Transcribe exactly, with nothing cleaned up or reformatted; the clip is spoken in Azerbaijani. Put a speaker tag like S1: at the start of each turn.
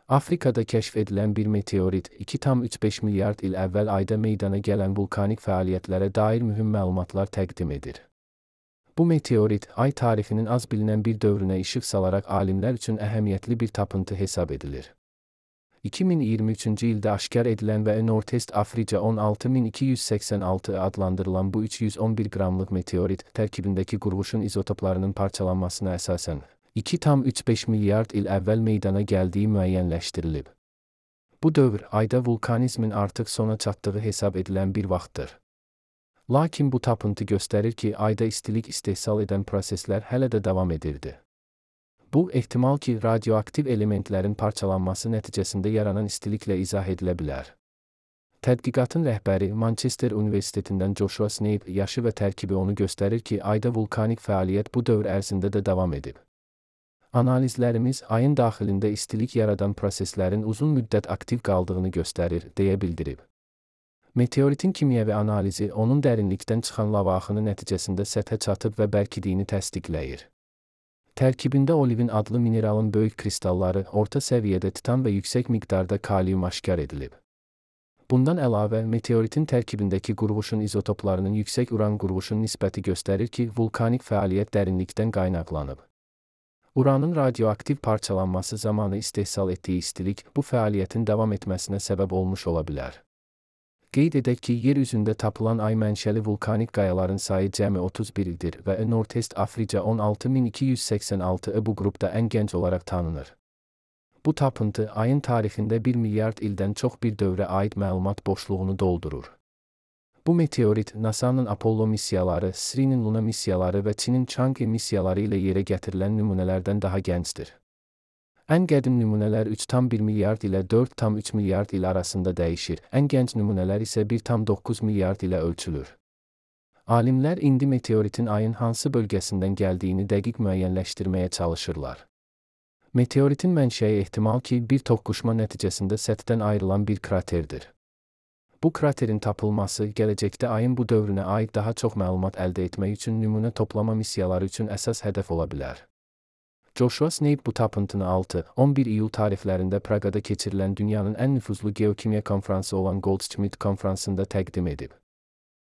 S1: Afrikada kəşf edilən bir meteorit iki tam üç beş milyard il əvvəl ayda meydana gələn vulkanik fəaliyyətlərə dair mühüm məlumatlar təqdim edir. Bu meteorit, ay tarixinin az bilinən bir dövrünə işıq salaraq alimlər üçün əhəmiyyətli bir tapıntı hesab edilir. iki min iyirmi üçüncü ildə aşkar edilən və Northwest Africa on altı min iki yüz səksən altı adlandırılan bu üç yüz on bir qramlıq meteorit, tərkibindəki qurğuşun izotoplarının parçalanmasına əsasən iki tam üç beş milyard il əvvəl meydana gəldiyi müəyyənləşdirilib. Bu dövr, ayda vulkanizmin artıq sona çatdığı hesab edilən bir vaxtdır. Lakin bu tapıntı göstərir ki, ayda istilik istehsal edən proseslər hələ də davam edirdi. Bu, ehtimal ki, radioaktiv elementlərin parçalanması nəticəsində yaranan istiliklə izah edilə bilər. Tədqiqatın rəhbəri Manchester Universitetindən Joshua Snape yaşı və tərkibi onu göstərir ki, ayda vulkanik fəaliyyət bu dövr ərzində də davam edib. Analizlərimiz, ayın daxilində istilik yaradan proseslərin uzun müddət aktiv qaldığını göstərir, deyə bildirib. Meteoritin kimyəvi analizi onun dərinlikdən çıxan lava axını nəticəsində səthə çatıb və bərkidiyini təsdiqləyir. Tərkibində olivin adlı mineralın böyük kristalları, orta səviyyədə titan və yüksək miqdarda kalium aşkar edilib. Bundan əlavə, meteoritin tərkibindəki qurğuşun izotoplarının yüksək uran qurğuşun nisbəti göstərir ki, vulkanik fəaliyyət dərinlikdən qaynaqlanıb. Uranın radioaktiv parçalanması zamanı istehsal etdiyi istilik, bu fəaliyyətin davam etməsinə səbəb olmuş ola bilər. Qeyd edək ki, yer üzündə tapılan ay mənşəli vulkanik qayaların sayı cəmi otuz birdir və Northwest Africa on altı min iki yüz səksən altı bu qrupda ən gənc olaraq tanınır. Bu tapıntı, ayın tarixində bir milyard ildən çox bir dövrə aid məlumat boşluğunu doldurur. Bu meteorit, NASA'nın Apollo missiyaları, S R I-nin Luna missiyaları və Çinin Chang'e missiyaları ilə yerə gətirilən nümunələrdən daha gəncdir. Ən qədim nümunələr üç tam bir milyard ilə dörd tam üç milyard il arasında dəyişir, ən gənc nümunələr isə bir tam doqquz milyard ilə ölçülür. Alimlər indi meteoritin ayın hansı bölgəsindən gəldiyini dəqiq müəyyənləşdirməyə çalışırlar. Meteoritin mənşəyi ehtimal ki, bir toqquşma nəticəsində səthdən ayrılan bir kraterdir. Bu kraterin tapılması, gələcəkdə ayın bu dövrünə aid daha çox məlumat əldə etmək üçün nümunə toplama missiyaları üçün əsas hədəf ola bilər. Joshua Snape bu tapıntını altı on bir iyul tarixlərində Praqada keçirilən dünyanın ən nüfuzlu geokimya konfransı olan Goldschmidt konfransında təqdim edib.